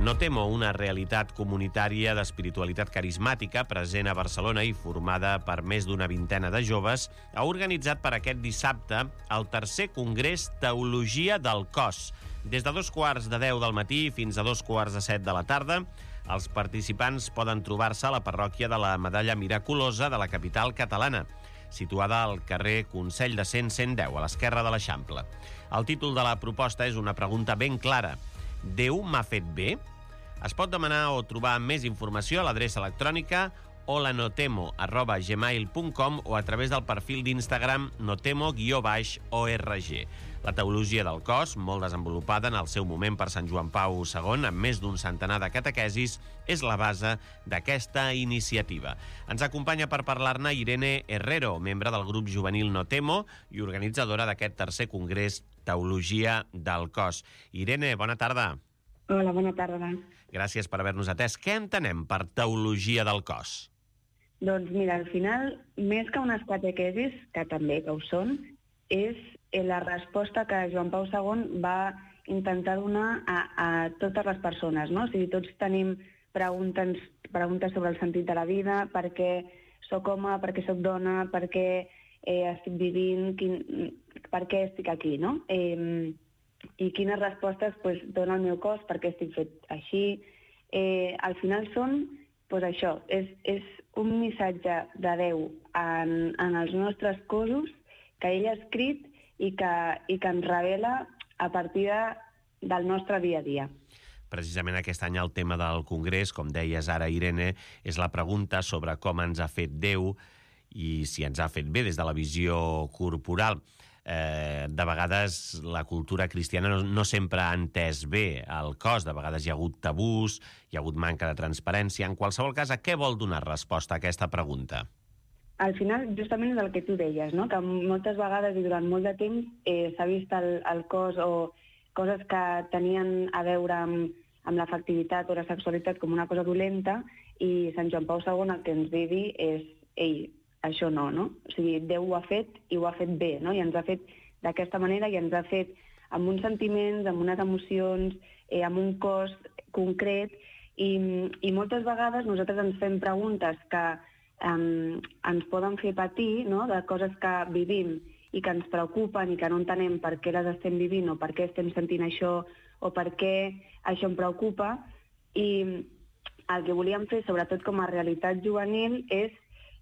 No Temo, una realitat comunitària d'espiritualitat carismàtica present a Barcelona i formada per més d'una vintena de joves, ha organitzat per aquest dissabte el tercer congrés Teologia del Cos. Des de 2:15 del matí fins a 2:45 de la tarda, els participants poden trobar-se a la parròquia de la Medalla Miraculosa de la capital catalana, situada al carrer Consell de Cent 110, a l'esquerra de l'Eixample. El títol de la proposta és una pregunta ben clara. Déu m'ha fet bé? Es pot demanar o trobar més informació a l'adreça electrònica holanotemo@gmail.com o a través del perfil d'Instagram notemo_org. La teologia del cos, molt desenvolupada en el seu moment per Sant Joan Pau II, amb més d'un centenar de catequesis, és la base d'aquesta iniciativa. Ens acompanya per parlar-ne Irene Herrero, membre del grup juvenil No Temo i organitzadora d'aquest tercer congrés Teologia del Cos. Irene, bona tarda. Hola, bona tarda. Gràcies per haver-nos atès. Què entenem per teologia del cos? Doncs mira, al final, més que unes catequesis, que també que ho són, és la resposta que Joan Pau II va intentar donar a totes les persones, no? O sigui, tots tenim preguntes sobre el sentit de la vida, per què sóc home, per què sóc dona, per què estic vivint, per què estic aquí, no? I quines respostes dona el meu cos, per què estic fet així. Al final són això, és un missatge de Déu en els nostres cossos que ell ha escrit i que ens revela a partir del nostre dia a dia. Precisament aquest any el tema del Congrés, com deies ara, Irene, és la pregunta sobre com ens ha fet Déu i si ens ha fet bé des de la visió corporal. De vegades la cultura cristiana no sempre ha entès bé el cos, de vegades hi ha hagut tabús, hi ha hagut manca de transparència. En qualsevol cas, a què vol donar resposta a aquesta pregunta? Al final, justament és el que tu deies, no? Que moltes vegades i durant molt de temps s'ha vist el cos o coses que tenien a veure amb l'afectivitat o la sexualitat com una cosa dolenta, i Sant Joan Pau II el que ens ve a dir és això no? O sigui, Déu ho ha fet i ho ha fet bé, no? I ens ha fet d'aquesta manera i ens ha fet amb uns sentiments, amb unes emocions, amb un cos concret, i moltes vegades nosaltres ens fem preguntes que ens poden fer patir, no? De coses que vivim i que ens preocupen i que no entenem per què les estem vivint o per què estem sentint això o per què això em preocupa. I el que volíem fer, sobretot com a realitat juvenil, és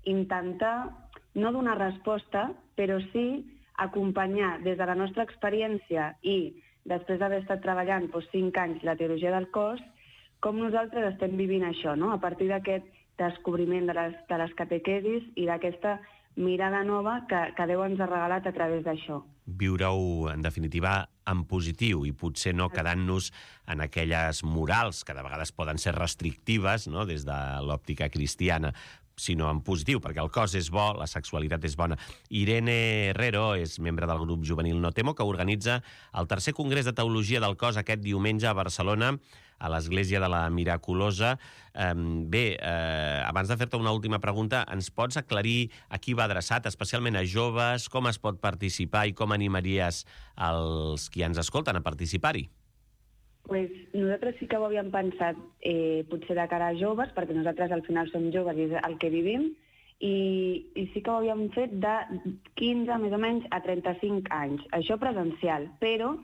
intentar no donar resposta, però sí acompanyar des de la nostra experiència i després d'haver estat treballant 5 anys la teologia del cos, com nosaltres estem vivint això, no? A partir d'aquest descobriment de les catequesis i d'aquesta mirada nova que Déu ens ha regalat a través d'això. Viure-ho, en definitiva, en positiu i potser no quedant-nos en aquelles morals que de vegades poden ser restrictives, no?, des de l'òptica cristiana, sinó en positiu, perquè el cos és bo, la sexualitat és bona. Irene Herrero és membre del grup juvenil No Temo, que organitza el tercer congrés de teologia del cos aquest diumenge a Barcelona, a l'Església de la Miraculosa. Abans de fer-te una última pregunta, ens pots aclarir a qui va adreçat, especialment a joves, com es pot participar i com animaries els qui ens escolten a participar-hi? Nosaltres sí que ho havíem pensat potser de cara a joves, perquè nosaltres al final som joves i és el que vivim, i sí que ho havíem fet de 15 més o menys a 35 anys, això presencial, però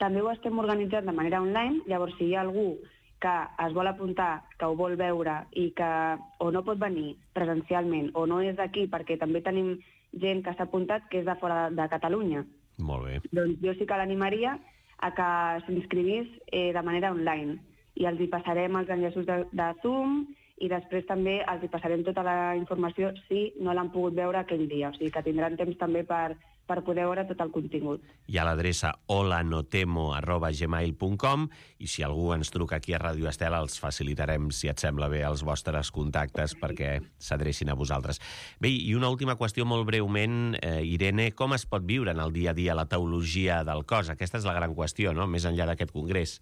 també ho estem organitzant de manera online. Llavors, si hi ha algú que es vol apuntar, que ho vol veure i que o no pot venir presencialment o no és d'aquí, perquè també tenim gent que s'ha apuntat que és de fora de Catalunya. Molt bé. Doncs jo sí que l'animaria a que s'inscrivís de manera online i els hi passarem els enllaços de Zoom i després també els hi passarem tota la informació si no l'han pogut veure aquell dia, o sigui que tindran temps també per poder veure tot el contingut. Hi ha l'adreça holanotemo@gmail.com i si algú ens truca aquí a Ràdio Estela els facilitarem, si et sembla bé, els vostres contactes perquè s'adrecin a vosaltres. Bé, i una última qüestió molt breument, Irene, com es pot viure en el dia a dia la teologia del cos? Aquesta és la gran qüestió, no?, més enllà d'aquest congrés.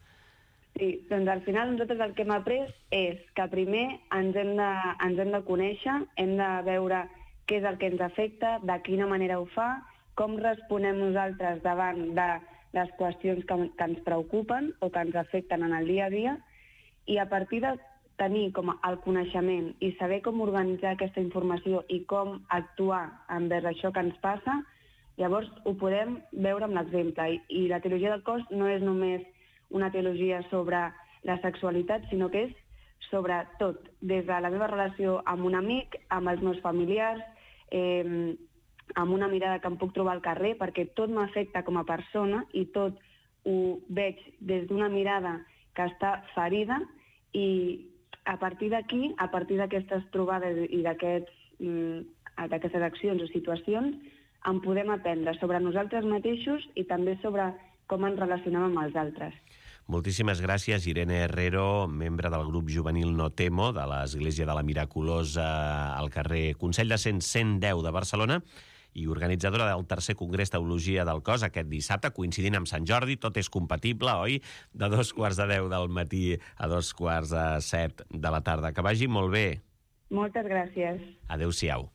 Sí, doncs al final nosaltres el que hem après és que primer ens hem de conèixer, hem de veure què és el que ens afecta, de quina manera ho fa, com responem nosaltres davant de les qüestions que ens preocupen o que ens afecten en el dia a dia, I a partir de tenir com el coneixement i saber com organitzar aquesta informació i com actuar envers això que ens passa, llavors ho podem veure amb l'exemple. I la teologia del cos no és només una teologia sobre la sexualitat, sinó que és sobre tot, des de la meva relació amb un amic, amb els meus familiars, amb una mirada que em puc trobar al carrer, perquè tot m'afecta com a persona i tot ho veig des d'una mirada que està ferida, i a partir d'aquí, a partir d'aquestes trobades i d'aquestes accions o situacions, en podem aprendre sobre nosaltres mateixos i també sobre com ens relacionem amb els altres. Moltíssimes gràcies, Irene Herrero, membre del grup juvenil No Temo, de l'Església de la Miraculosa al carrer Consell de Cent 110 de Barcelona, i organitzadora del tercer Congrés Teologia del Cos aquest dissabte, coincidint amb Sant Jordi. Tot és compatible, oi? De 2:45 del matí a 2:45 de la tarda. Que vagi molt bé. Moltes gràcies. Adéu-siau.